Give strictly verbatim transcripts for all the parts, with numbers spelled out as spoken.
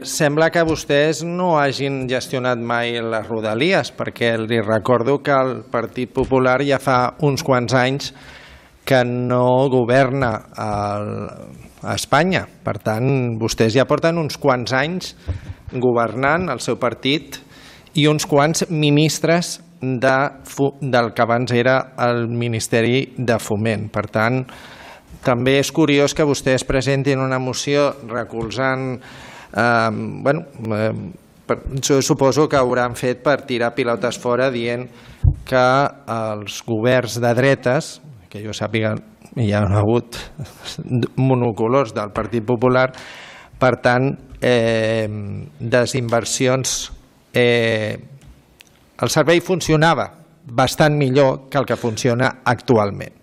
Sembla que vostès no hagin gestionat mai les Rodalies, perquè li recordo que el Partit Popular ja fa uns quants anys que no governa a Espanya. Per tant, vostès ja porten uns quants anys governant el seu partit i uns quants ministres del que abans era el Ministeri de Foment. Per tant, també és curiós que vostès presentin una moció recolzant... Bueno, jo suposo que hauran fet per tirar pilotes fora dient que els governs de dretes, que jo sàpiga hi ha hagut monocolors del Partit Popular, per tant, desinversions, el servei funcionava bastant millor que el que funciona actualment.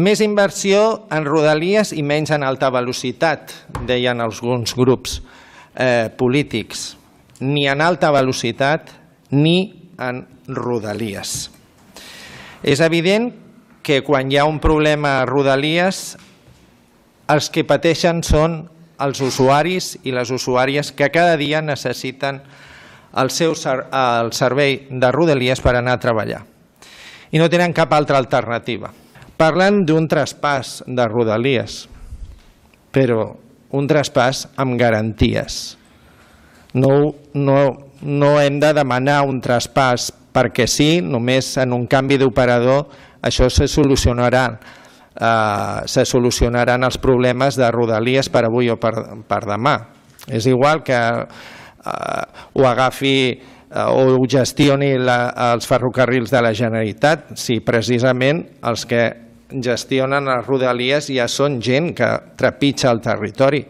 Més inversió en Rodalies i menys en alta velocitat, deien alguns grups polítics, ni en alta velocitat ni en Rodalies. És evident que quan hi ha un problema a Rodalies, els que pateixen són els usuaris i les usuàries que cada dia necessiten el seu el servei de Rodalies per anar a treballar i no tenen cap altra alternativa. Parlen d'un traspàs de Rodalies, però un traspàs amb garanties. No, no, no hem de demanar un traspàs perquè sí, només en un canvi d'operador això se solucionarà. Eh, se solucionaran els problemes de Rodalies per avui o per, per demà. És igual que eh, ho agafi eh, o ho gestioni la, els ferrocarrils de la Generalitat, si precisament els que gestionen les Rodalies ja són gent que trepitja el territori.